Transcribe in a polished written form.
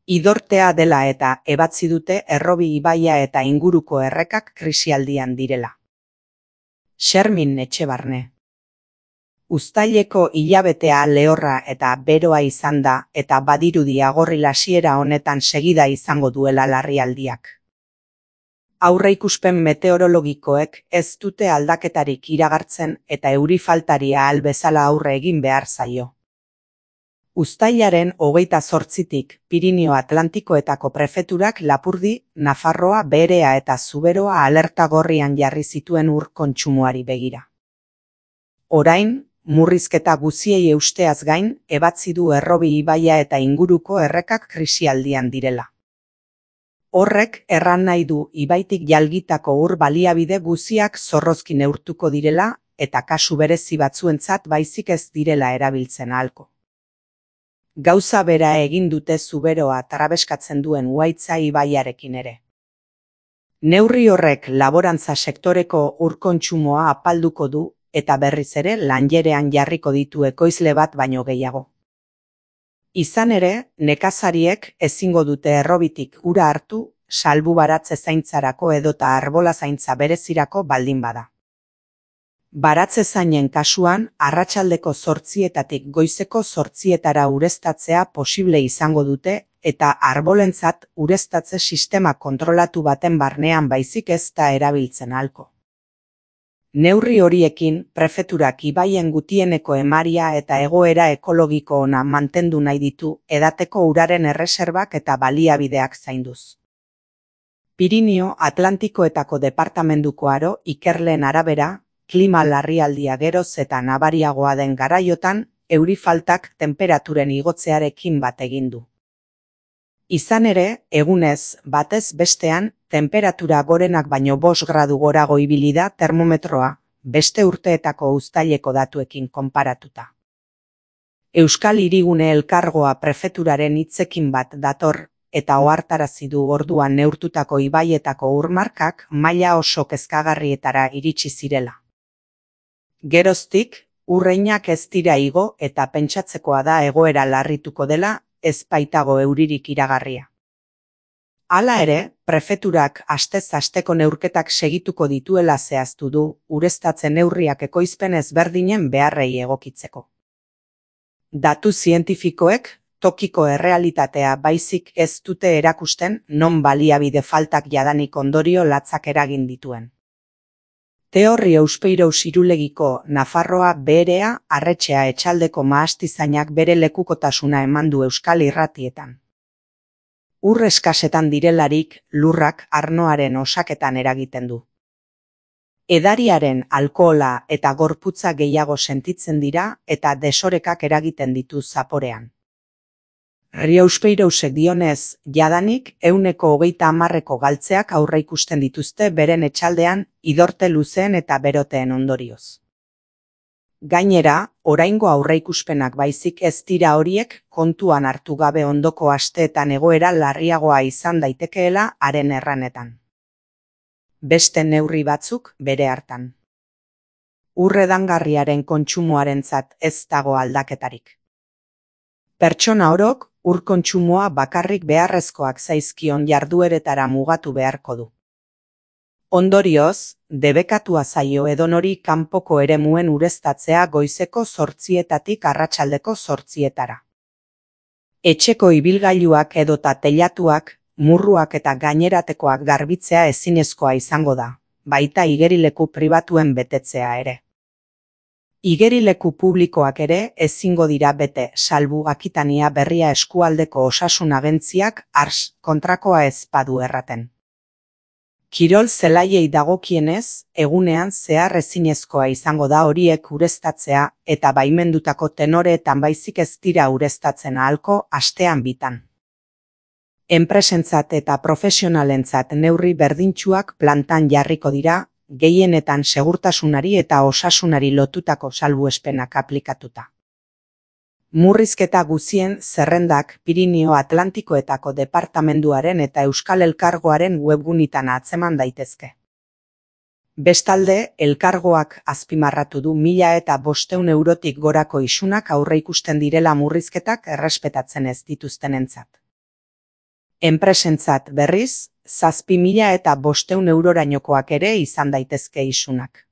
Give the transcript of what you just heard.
Idortea dela eta ebatzi dute Errobi ibaia eta inguruko errekak krisialdian direla. Xermin Etxebarne. Uztaileko hilabetea lehorra eta beroa izan da eta badirudi agorri hasiera honetan segida izango duela larrialdiak. Aurreikuspen meteorologikoek ez dute aldaketarik iragartzen eta euri faltari ahal bezala aurre egin behar zaio. Uztailaren 28tik Pirinio Atlantikoetako prefeturak Lapurdi, Nafarroa, Berea eta Zuberoa alerta gorrian jarri zituen ur kontsumoari begira. Orain, murrizketa guziei eusteaz gain, ebatzi du Errobi ibaia eta inguruko errekak krisialdian direla. Horrek erran nahi du ibaitik jalgitako ur baliabide guziak zorrozki neurtuko direla eta kasu berezi batzuentzat baizik ez direla erabiltzen ahalko. Gauza bera egin dute Zuberoa trabeskatzen duen Uhaitza ibaiarekin ere. Neurri horrek laborantza sektoreko ur kontsumoa apalduko du eta berriz ere lanjerean jarriko ditu ekoizle bat baino gehiago. Izan ere, nekazariek ezingo dute Errobitik ura hartu, salbu baratze zaintzarako edota arbola zaintza berezirako baldin bada. Baratze zainen kasuan, arratsaldeko 8etatik goizeko 8etara ureztatzea posible izango dute eta arbolentzat ureztatze sistema kontrolatu baten barnean baizik ez da erabiltzen ahalko. Neurri horiekin, prefeturak ibaien gutieneko emaria eta egoera ekologiko ona mantendu nahi ditu edateko uraren erreserbak eta baliabideak zainduz. Pirinio Atlantikoetako departamenduko aro ikerleen arabera, klima larrialdia geroz eta nabariagoa den garaiotan, euri faltak tenperaturen igotzearekin bat egin du. Izan ere, egunez, batez bestean, temperatura gorenak baino 5 gradu gorago ibili da termometroa, beste urteetako uztaileko datuekin konparatuta. Euskal Hirigune Elkargoa prefeturaren hitzekin bat dator eta ohartarazi du orduan neurtutako ibaietako urmarkak maila oso kezkagarrietara iritsi zirela. Geroztik, urreinak ez dira igo eta pentsatzekoa da egoera larrituko dela, ez baitago euririk iragarria. Hala ere, prefeturak astez asteko neurketak segituko dituela zehaztu du, ureztatze neurriak ekoizpen ezberdinen beharrei egokitzeko. Datu zientifikoek, tokiko errealitatea baizik ez dute erakusten non baliabide faltak jadanik ondorio latzak eragin dituen. Teorri Euspeirous Irulegiko Nafarroa Berea Arretxea etxaldeko mahastizainak bere lekukotasuna eman du Euskal Irratietan. Ur eskasetan direlarik lurrak arnoaren osaketan eragiten du. Edariaren alkohola eta gorputza gehiago sentitzen dira eta desorekak eragiten ditu zaporean. Euspeirosek dionez, jadanik 130% galtzeak aurreikusten dituzte beren etxaldean idorte luzeen eta beroteen ondorioz. Gainera, oraingo aurreikuspenak baizik ez dira horiek kontuan hartu gabe ondoko asteetan egoera larriagoa izan daitekeela haren erranetan. Beste neurri batzuk bere hartan. Urredangarriaren kontsumoarentzat ez dago aldaketarik. Pertsona orok ur kontsumoa bakarrik beharrezkoak zaizkion jardueretara mugatu beharko du. Ondorioz, debekatua zaio edonori kanpoko eremuen ureztatzea goizeko 8etatik arratsaldeko 8etara. Etxeko ibilgailuak edota teilatuak, murruak eta gaineratekoak garbitzea ezinezkoa izango da, baita igerileku pribatuen betetzea ere. Igerileku publikoak ere ezingo dira bete, salbu Akitania Berria eskualdeko osasun agentziak ARS kontrakoa ez badu erraten. Kirol zelaiei dagokienez, egunean zehar ezinezkoa izango da horiek ureztatzea eta baimendutako tenoreetan baizik ez dira ureztatzen ahalko astean bitan. Enpresentzat eta profesionalentzat neurri berdintsuak plantan jarriko dira, gehienetan segurtasunari eta osasunari lotutako salbuespenak aplikatuta. Murrizketa guzien zerrendak Pirinio Atlantikoetako departamenduaren eta Euskal Elkargoaren webgunitan atzeman daitezke. Bestalde, elkargoak azpimarratu du 1.500 eurotik gorako isunak aurreikusten direla murrizketak errespetatzen ez dituztenentzat. Enpresentzat berriz, 7.500 eurorainokoak ere izan daitezke isunak.